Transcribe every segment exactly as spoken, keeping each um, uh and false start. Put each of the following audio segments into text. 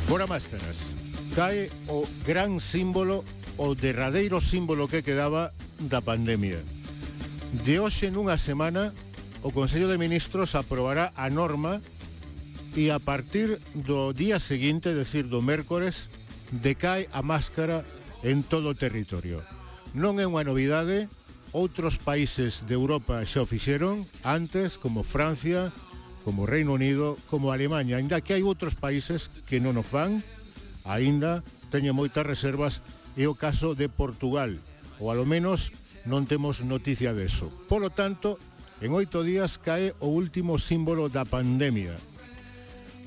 Fora máscaras. Cae o gran símbolo, o derradeiro símbolo que quedaba da pandemia. De hoxe nunha semana, o Consello de Ministros aprobará a norma e a partir do día seguinte, é dicir, do mércores, decae a máscara en todo o territorio. Non é unha novidade, outros países de Europa xa o fixeron antes, como Francia, como Reino Unido, como Alemanha, ainda que hai outros países que non o fan, ainda teñen moitas reservas, é o caso de Portugal, ou alo menos non temos noticia deso. Polo tanto, en oito días cae o último símbolo da pandemia.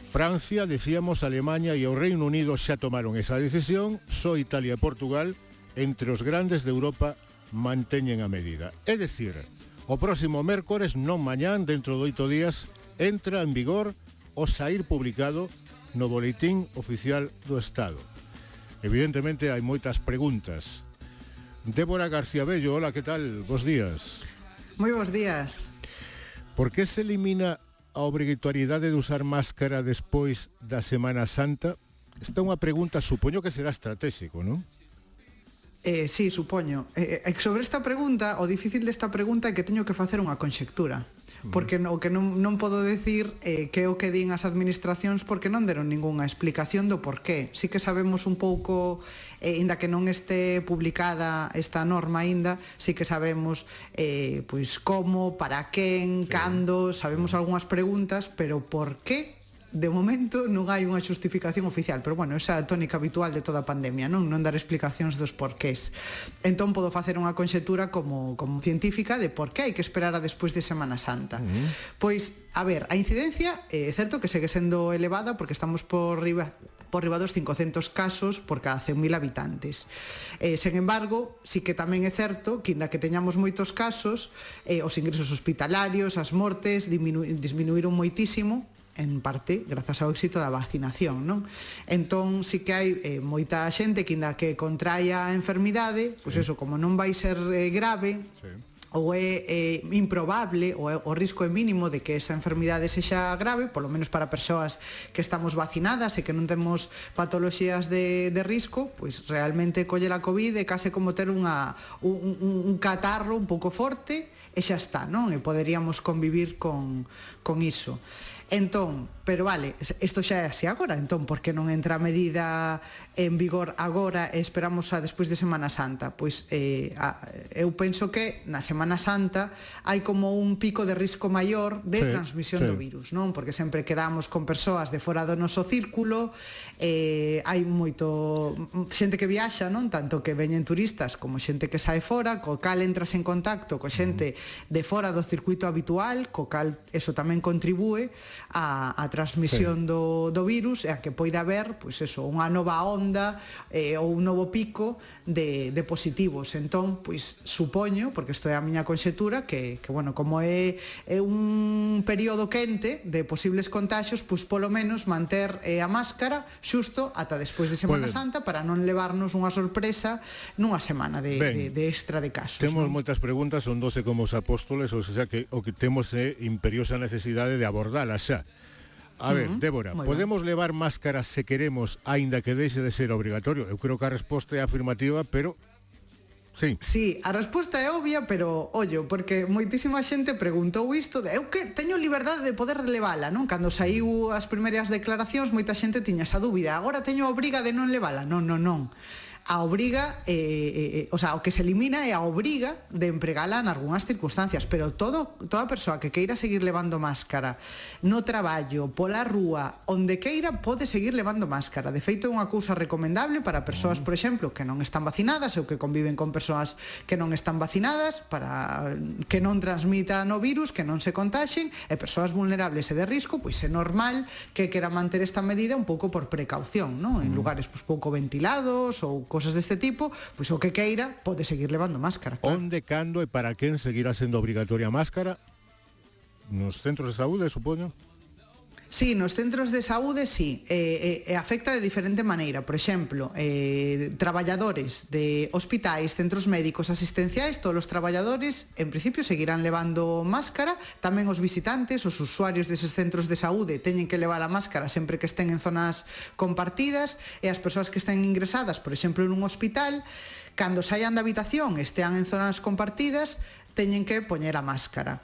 Francia, decíamos, Alemanha e o Reino Unido xa tomaron esa decisión, só Italia e Portugal, entre os grandes de Europa, manteñen a medida. É dicir, o próximo mércores, non mañán, dentro de oito días, entra en vigor o saír publicado no Boletín Oficial do Estado. Evidentemente hai moitas preguntas. Débora García Bello, hola, que tal? Bos días. Moi bos días. Por que se elimina a obrigatoriedade de usar máscara despois da Semana Santa? Esta é unha pregunta, supoño que será estratégico, non? Eh, sí, supoño. Eh, sobre esta pregunta, o difícil desta pregunta é que teño que facer unha conxectura. Porque o que non, non podo decir eh, que é o que din as administracións porque non deron ningunha explicación do porqué. Sí que sabemos un pouco, eh, inda que non este publicada esta norma aínda, sí que sabemos eh, pois como, para quen, sí. Cando, sabemos algunhas preguntas, pero por qué? De momento non hai unha xustificación oficial, pero bueno, esa é a tónica habitual de toda a pandemia, non non dar explicacións dos porqués. Entón podo facer unha conxetura como, como científica de por que hai que esperar a despois de Semana Santa. Uh-huh. Pois, a ver, a incidencia é certo que segue sendo elevada porque estamos por riba por riba dos cincocentos casos por cada cen mil habitantes. Eh, sen embargo, sí que tamén é certo que, inda que teñamos moitos casos, eh, os ingresos hospitalarios, as mortes diminu- disminuíron moitísimo, en parte grazas ao éxito da vacinación, non? Entón, sí que hai eh, moita xente que inda que contraia a enfermidade, pois sí. Eso, como non vai ser eh, grave, sí. Ou é eh, improbable, ou é, o risco é mínimo de que esa enfermidade sexa grave, polo menos para persoas que estamos vacinadas e que non temos patoloxías de, de risco, pois realmente colle a COVID é case como ter unha, un, un, un catarro un pouco forte e xa está, non? E poderíamos convivir con, con iso. Entón, pero vale, isto xa é así agora, entón, por que non entra a medida en vigor agora e esperamos a despois de Semana Santa? Pois eh, a, eu penso que na Semana Santa hai como un pico de risco maior de sí, transmisión sí. do virus, non? Porque sempre quedamos con persoas de fora do noso círculo, eh, hai moito xente que viaxa, non? Tanto que veñen turistas como xente que sae fora, co cal entras en contacto co xente uh-huh. de fora do circuito habitual, co cal eso tamén contribúe a, a transmisión sí. do, do virus e a que poida haber, pois eso, unha nova onda eh, ou un novo pico de, de positivos. Entón, pois supoño, porque isto é a miña conxetura, que, que bueno, como é, é un período quente de posibles contaxios, pois polo menos manter eh, a máscara xusto ata despois de Semana Santa para non levarnos unha sorpresa nunha semana de, de, de extra de casos. Temos non? moitas preguntas, son doce como os apóstoles, ou sea que o que temos é imperiosa necesidade de abordalas xa. A ver, uh-huh. Débora, podemos ben. levar máscaras se queremos, aínda que deixe de ser obrigatorio? Eu creo que a resposta é afirmativa, pero... Sí. Sí, a resposta é obvia, pero, ollo, porque moitísima xente preguntou isto de eu que teño liberdade de poder levala, non? Cando saiu as primeiras declaracións, moita xente tiña esa dúbida. Agora teño a obriga de non levala? Non, non, non. A obriga, eh, eh, o sea, o que se elimina é a obriga de empregala en algunhas circunstancias, pero todo, toda persoa que queira seguir levando máscara no traballo, pola rúa, onde queira, pode seguir levando máscara. De feito, é unha cousa recomendable para persoas, por exemplo, que non están vacinadas ou que conviven con persoas que non están vacinadas, para que non transmitan o virus, que non se contaxen, e persoas vulnerables e de risco, pois é normal que quera manter esta medida un pouco por precaución, non? En lugares pois, pouco ventilados ou cosas deste tipo, pois o que queira pode seguir levando máscara. Claro. Onde, cando e para quen seguirá sendo obrigatoria a máscara? Nos centros de saúde, supoño? Sí, nos centros de saúde, sí, eh, eh, afecta de diferente maneira. Por exemplo, eh, traballadores de hospitais, centros médicos, asistenciais, todos os traballadores, en principio, seguirán levando máscara. Tamén os visitantes, os usuarios deses centros de saúde, teñen que levar a máscara sempre que estén en zonas compartidas, e as persoas que estén ingresadas, por exemplo, nun hospital, cando saian da habitación, estean en zonas compartidas, teñen que poñer a máscara.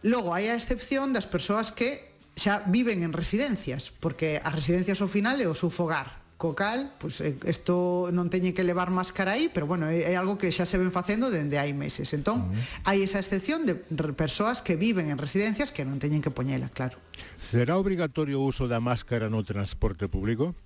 Logo, hai a excepción das persoas que xa viven en residencias, porque as residencias ao final é o seu fogar. Co cal, pois, isto non teñe que levar máscara aí, pero bueno, é, é algo que xa se ven facendo dende hai meses. Entón, uh-huh. hai esa excepción de persoas que viven en residencias que non teñen que poñela, claro. Será obrigatorio o uso da máscara no transporte público?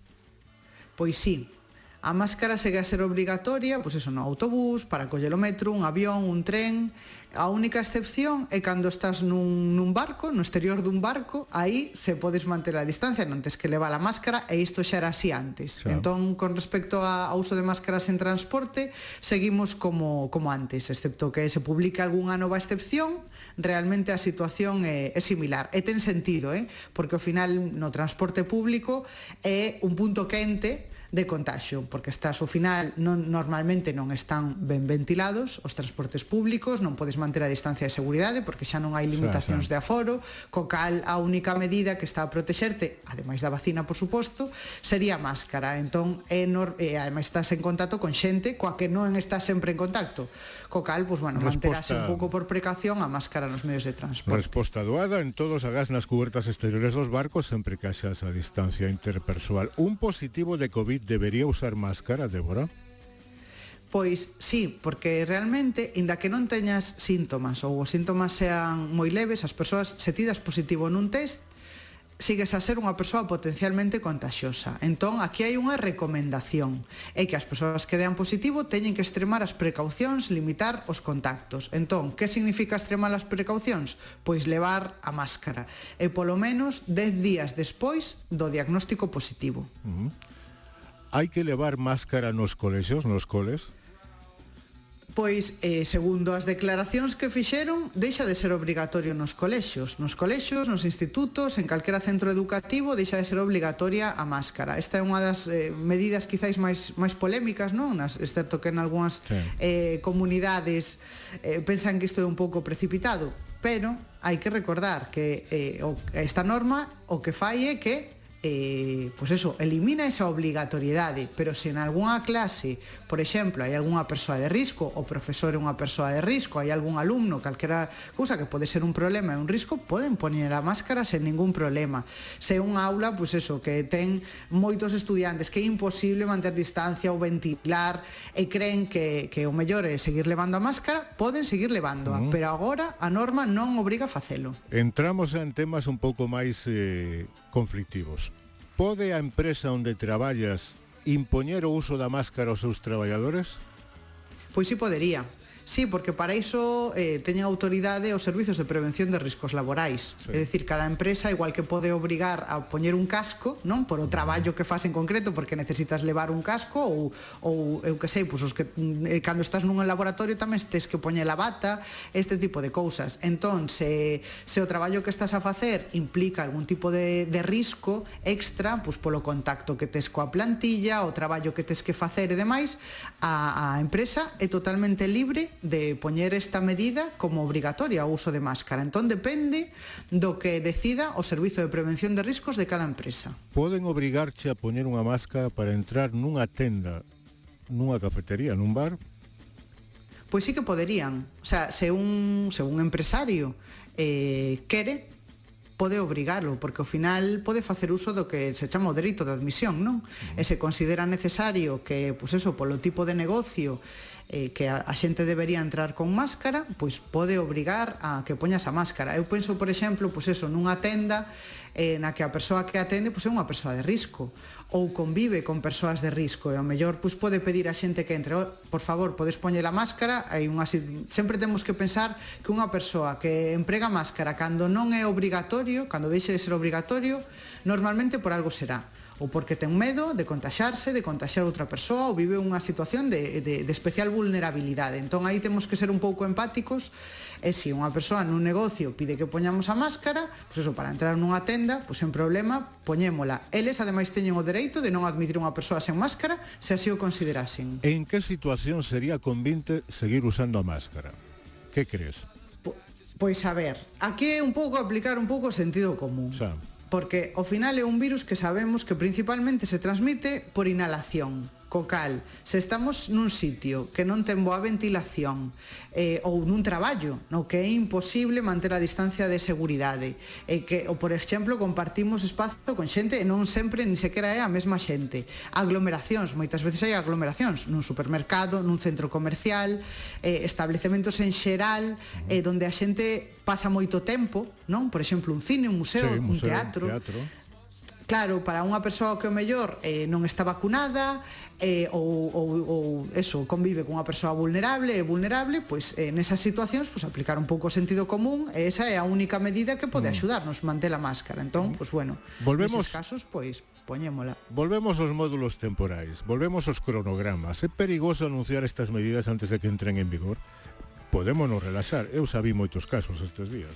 Pois sí. A máscara segue a ser obrigatoria, pois eso, no autobús, para coller o metro, un avión, un tren. A única excepción é cando estás nun, nun barco, no exterior dun barco, aí se podes manter a distancia, non tes que levar a máscara, e isto xa era así antes. Xa. Entón, con respecto ao uso de máscaras en transporte, seguimos como, como antes, excepto que se publique algunha nova excepción, realmente a situación é, é similar. E ten sentido, eh? Porque ao final no transporte público é un punto quente de contagio, porque estás ao final non, normalmente non están ben ventilados os transportes públicos, non podes manter a distancia de seguridade porque xa non hai limitacións de aforo, co cal a única medida que está a protexerte, ademais da vacina, por suposto, sería a máscara. Entón, é nor- e ademais estás en contacto con xente coa que non estás sempre en contacto, co cal, pues, bueno, manterase un pouco por precaución a máscara nos medios de transporte. Resposta doada en todos agás nas cubertas exteriores dos barcos sempre que haxa esa distancia interpersoal. Un positivo de COVID debería usar máscara, Débora? Pois sí, porque realmente, inda que non teñas síntomas ou os síntomas sean moi leves, as persoas, se ti das positivo nun test, sigues a ser unha persoa potencialmente contagiosa. Entón, aquí hai unha recomendación, é que as persoas que dean positivo teñen que extremar as precaucións, limitar os contactos. Entón, que significa extremar as precaucións? Pois levar a máscara, e polo menos dez días despois do diagnóstico positivo. Uh-huh. Hai que levar máscara nos colexios, nos coles? Pois, eh, segundo as declaracións que fixeron, deixa de ser obrigatorio nos colexios. Nos colexios, nos institutos, en calquera centro educativo, deixa de ser obligatoria a máscara. Esta é unha das eh, medidas quizáis máis, máis polémicas, non? Nas, excepto que en algunhas sí. eh, comunidades eh, pensan que isto é un pouco precipitado, pero hai que recordar que eh, o, esta norma o que fai é que Eh, pois eso, elimina esa obligatoriedade, pero se en algunha clase, por exemplo, hai algunha persoa de risco, o profesor é unha persoa de risco, hai algún alumno, calquera cousa que pode ser un problema e un risco, poden poñer a máscara sen ningún problema. Se unha aula, pois eso, que ten moitos estudiantes, que é imposible manter distancia ou ventilar, e creen que, que o mellor é seguir levando a máscara, poden seguir levándoa, uh-huh. pero agora a norma non obriga a facelo. Entramos en temas un pouco máis eh, conflictivos. Pode a empresa onde traballas impoñer o uso da máscara aos seus traballadores? Pois sí podería. Sí, porque para iso eh, teñen autoridade os servizos de prevención de riscos laborais. Sí. É dicir, cada empresa, igual que pode obrigar a poñer un casco, non? Por o traballo que faz en concreto, porque necesitas levar un casco, ou, ou eu que sei, pois os que eh, cando estás nun laboratorio tamén tes que poñer a bata, este tipo de cousas. Entón, se, se o traballo que estás a facer implica algún tipo de, de risco extra, pois polo contacto que tes coa plantilla, o traballo que tes que facer e demais, a, a empresa é totalmente libre de poñer esta medida como obrigatoria o uso de máscara. Entón depende do que decida o Servizo de Prevención de Riscos de cada empresa. Poden obrigarche a poñer unha máscara para entrar nunha tenda, nunha cafetería, nun bar? Pois sí que poderían. O sea, se un, se un empresario eh, quere, pode obrigalo, porque ao final pode facer uso do que se chama o dereito de admisión, non? Uh-huh. E se considera necesario que, pois eso, polo tipo de negocio eh, que a, a xente debería entrar con máscara, pois pode obrigar a que poñas a máscara. Eu penso, por exemplo, pois eso, nunha tenda eh, na que a persoa que atende pois é unha persoa de risco, ou convive con persoas de risco, e ao mellor pois pode pedir a xente que entre, oh, por favor, podes poñer a máscara. Hai unha, sempre temos que pensar que unha persoa que emprega máscara cando non é obrigatorio, cando deixe de ser obrigatorio, normalmente por algo será. ou porque ten medo de contaxarse, de contaxar outra persoa, ou vive unha situación de, de, de especial vulnerabilidade. Entón aí temos que ser un pouco empáticos, e se unha persoa nun negocio pide que poñamos a máscara, pois eso, para entrar nunha tenda, pois sen problema, poñémola. Eles ademais teñen o dereito de non admitir unha persoa sen máscara se así o considerasen. En que situación sería convinte seguir usando a máscara? Que crees? Pois a ver, aquí é un pouco aplicar un pouco o sentido común. Xa. Porque ao final é un virus que sabemos que principalmente se transmite por inhalación. Co cal, se estamos nun sitio que non ten boa ventilación eh, ou nun traballo no que é imposible manter a distancia de seguridade e que, ou por exemplo, compartimos espazo con xente e non sempre ni sequera é a mesma xente, aglomeracións, moitas veces hai aglomeracións nun supermercado, nun centro comercial, eh, establecementos en xeral eh, donde a xente pasa moito tempo, non? Por exemplo, un cine, un museo, sí, un museo, teatro. teatro. Claro, para unha persoa que o mellor eh, non está vacunada eh, ou, ou, ou eso, convive con unha persoa vulnerable e vulnerable, pois eh, nesas situacións pois, aplicar un pouco o sentido común, e esa é a única medida que pode axudarnos, manter a máscara. Entón, pois bueno, volvemos, neses casos, pois poñémola. Volvemos aos módulos temporais, volvemos aos cronogramas. É perigoso anunciar estas medidas antes de que entren en vigor? Podémonos relaxar, eu sabí moitos casos estes días.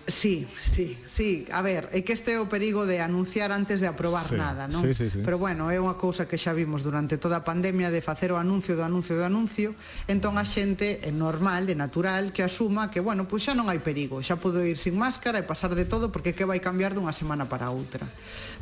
Sí, sí, sí, a ver, é que este é o perigo de anunciar antes de aprobar sí, nada, non? Sí, sí, sí. Pero bueno, é unha cousa que xa vimos durante toda a pandemia de facer o anuncio do anuncio do anuncio, entón a xente é normal, é natural que asuma que, bueno, pois xa non hai perigo, xa podo ir sin máscara e pasar de todo porque que vai cambiar dunha semana para outra.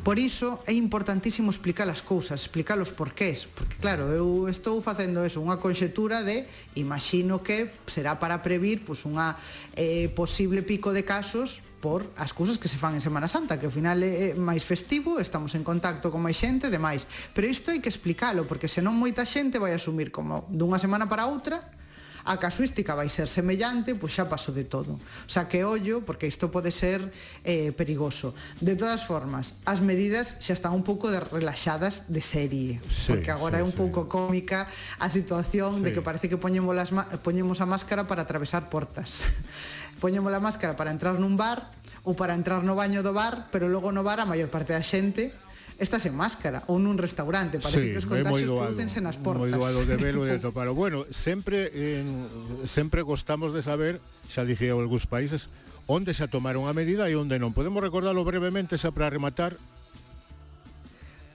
Por iso é importantísimo explicar as cousas, explicar os porqués, porque claro, eu estou facendo eso, unha conxetura de, imagino que será para previr pois unha eh, posible pico de casos por as cousas que se fan en Semana Santa, que ao final é máis festivo, estamos en contacto con máis xente, demais. Pero isto hai que explicalo, porque senón moita xente vai asumir como dunha semana para outra a casuística vai ser semellante, pois xa pasou de todo. O sea, que ollo, porque isto pode ser eh, perigoso. De todas formas, as medidas xa están un pouco de relaxadas de serie, sí, porque agora sí, é un sí. pouco cómica a situación sí. de que parece que poñemos, las poñemos a máscara para atravesar portas. Poñemos a máscara para entrar nun bar ou para entrar no baño do bar, pero logo no bar a maior parte da xente está sen máscara, ou nun restaurante, parece sí, que os contagios producense nas portas. Moi doado de velo e de topalo. Bueno, sempre en, sempre gostamos de saber, xa dicía algúns países, onde xa tomaron a medida e onde non. Podemos recordarlo brevemente xa para rematar?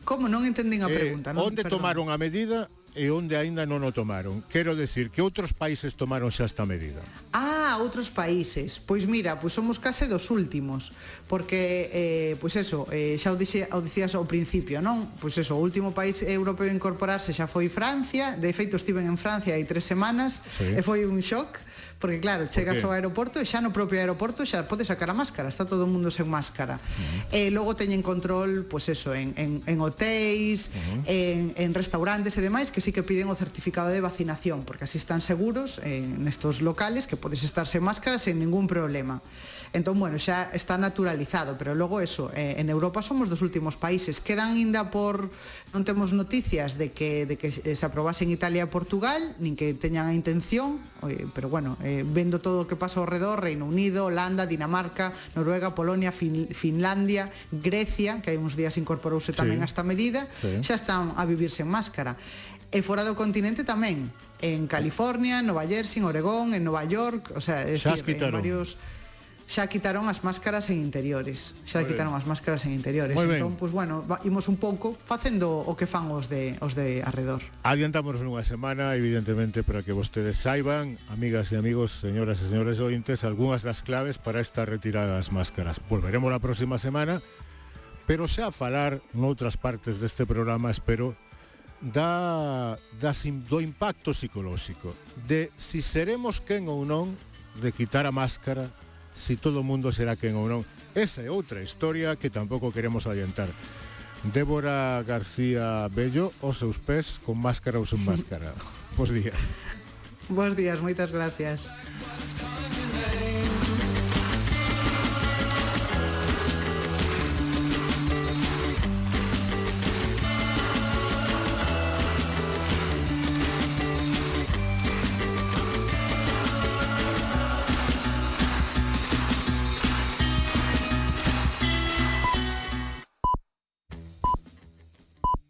Como? Non entendín a pregunta, eh, non? Onde Perdón. tomaron a medida e onde aínda non o tomaron. Quero decir que outros países tomaron xa esta medida. Ah, outros países. Pois mira, pois somos case dos últimos, porque eh, pois eso, eh, xa o, dixe, o dicías ao principio, non? Pois eso, o último país europeo a incorporarse xa foi Francia. De feito estiven en Francia hai tres semanas, sí. E foi un shock, porque claro, chegas ao aeroporto e xa no propio aeroporto xa podes sacar a máscara, está todo o mundo sen máscara. Uh-huh. E logo teñen control, pois eso, en, en, en hotéis, uh-huh. en, en restaurantes e demais, que sí que piden o certificado de vacinación, porque así están seguros en estos locales que podes estar sen máscara sen ningún problema. Entón, bueno, xa está naturalizado, pero logo eso, eh, en Europa somos dos últimos países. Quedan ainda por... Non temos noticias de que, de que se aprobase en Italia e Portugal, nin que teñan a intención, eh, pero bueno, eh, vendo todo o que pasa ao redor, Reino Unido, Holanda, Dinamarca, Noruega, Polonia, fin, Finlandia, Grecia, que hai uns días incorporouse tamén sí. a esta medida, sí. xa están a vivir sen máscara. E fora do continente tamén, en California, en Nova Jersey, en Oregón, en Nova York, o sea, es xa decir, en varios... xa quitaron as máscaras en interiores, xa Muy quitaron bien. as máscaras en interiores. Muy entón, pois pues, bueno, imos un pouco facendo o que fan os de os de arredor. Adiantámonos nunha semana, evidentemente, para que vostedes saiban, amigas e amigos, señoras e señores ointes, algunhas das claves para esta retirada das máscaras. Volveremos a próxima semana, pero xa a falar noutras partes deste programa, espero, da, da do impacto psicolóxico, de si seremos quen ou non de quitar a máscara, si todo o mundo será quen ou non. Esa é outra historia que tampouco queremos adiantar. Débora García Bello, os seus pés con máscara ou sen máscara. Bos días. Bos días, moitas gracias.